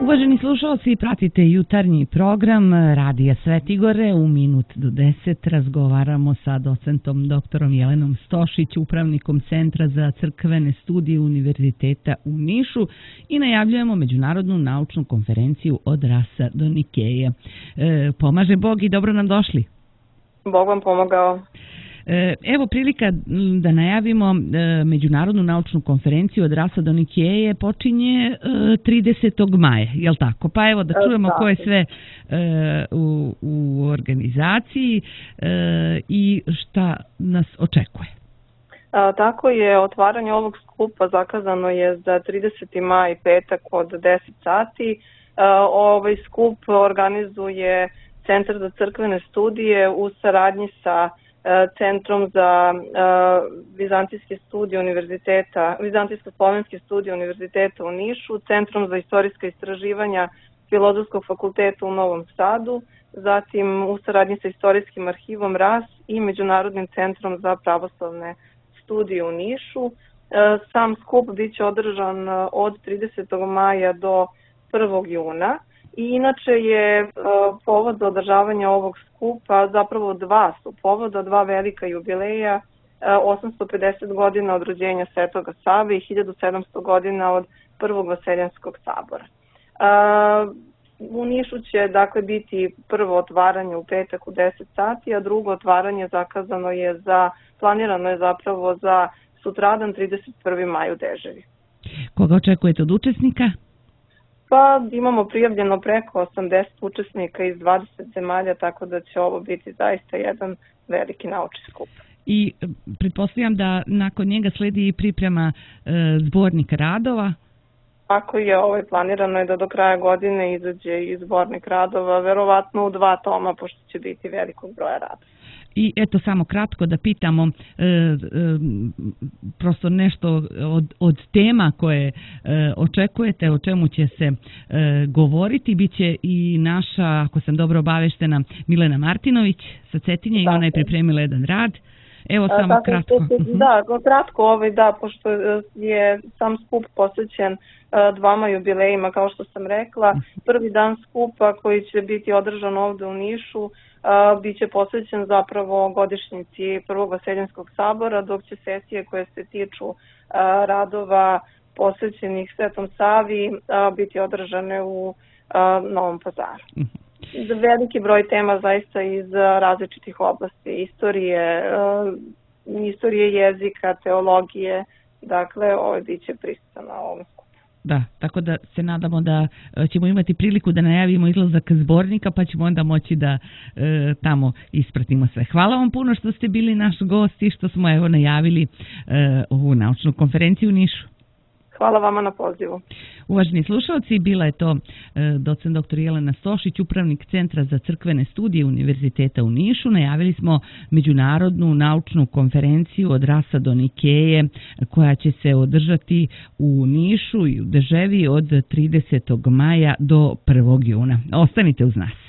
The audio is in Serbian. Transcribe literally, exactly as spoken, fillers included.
Uvaženi slušalci, pratite jutarnji program Radija Svetigore. U minut do deset razgovaramo sa docentom doktorom Jelenom Stošić, upravnikom Centra za crkvene studije Univerziteta u Nišu i najavljujemo međunarodnu naučnu konferenciju od Rasa do Nikeje. E, pomaže Bog i dobro nam došli. Bog vam pomogao. Evo prilika da najavimo međunarodnu naučnu konferenciju od Rasa do Nikeje počinje tridesetog maja, je li tako? Pa evo da čujemo ko je sve u, u organizaciji i šta nas očekuje. A, tako je, otvaranje ovog skupa zakazano je za trideseti maj, petak od deset sati. A, ovaj skup organizuje Centar za crkvene studije u saradnji sa Centrom za uh, vizantijske studije univerziteta, vizantijsko-slovenske studije univerziteta u Nišu, Centrom za istorijska istraživanja Filozofskog fakulteta u Novom Sadu, zatim u saradnji sa Istorijskim arhivom R A S i Međunarodnim centrom za pravoslavne studije u Nišu. Uh, sam skup biće održan od tridesetog maja do prvog juna. I inače je uh, povod za održavanje ovog skupa, zapravo dva su povoda, dva velika jubileja, uh, osamsto pedeset godina od rođenja Svetoga Save i hiljadu sedamsto godina od prvog Vaseljenskog sabora. Uh, u Nišu će dakle biti prvo otvaranje u petak u deset sati, a drugo otvaranje zakazano je za, planirano je zapravo za sutradan trideset prvi maj u Deževi. Koga očekujete od učesnika? Pa imamo prijavljeno preko osamdeset učesnika iz dvadeset zemalja, tako da će ovo biti zaista jedan veliki naučni skup. I pretpostavljam da nakon njega sledi i priprema e, zbornika radova? Ako je ovaj, planirano je da do kraja godine izađe i zbornik radova, verovatno u dva toma, pošto će biti velikog broja radova. I eto samo kratko da pitamo e, e, prosto nešto od, od tema koje e, očekujete, o čemu će se e, govoriti. Biće i naša, ako sam dobro obaveštena, Milena Martinović sa Cetinje i ona je pripremila jedan rad. Evo samo A, kratko. Da, kratko ovaj, da, pošto je sam skup posvećen dvama jubilejima, kao što sam rekla. Prvi dan skupa koji će biti održan ovde u Nišu biće posvećen zapravo godišnjici prvog Vaseljenskog sabora, dok će sesije koje se tiču radova posvećenih Svetom Savi biti održane u Novom Pazaru. Veliki broj tema zaista iz različitih oblasti, istorije, istorije jezika, teologije, dakle ovo biće prisutan na ovom skupu. Da, tako da se nadamo da ćemo imati priliku da najavimo izlazak zbornika, pa ćemo onda moći da e, tamo ispratimo sve. Hvala vam puno što ste bili naš gost i što smo evo najavili e, ovu naučnu konferenciju u Nišu. Hvala vama na pozivu. Uvaženi slušalci, bila je to e, docent doktor Jelena Stošić, upravnik Centra za crkvene studije Univerziteta u Nišu. Najavili smo međunarodnu naučnu konferenciju od Rasa do Nikeje koja će se održati u Nišu i u Deževi od tridesetog maja do prvog juna. Ostanite uz nas.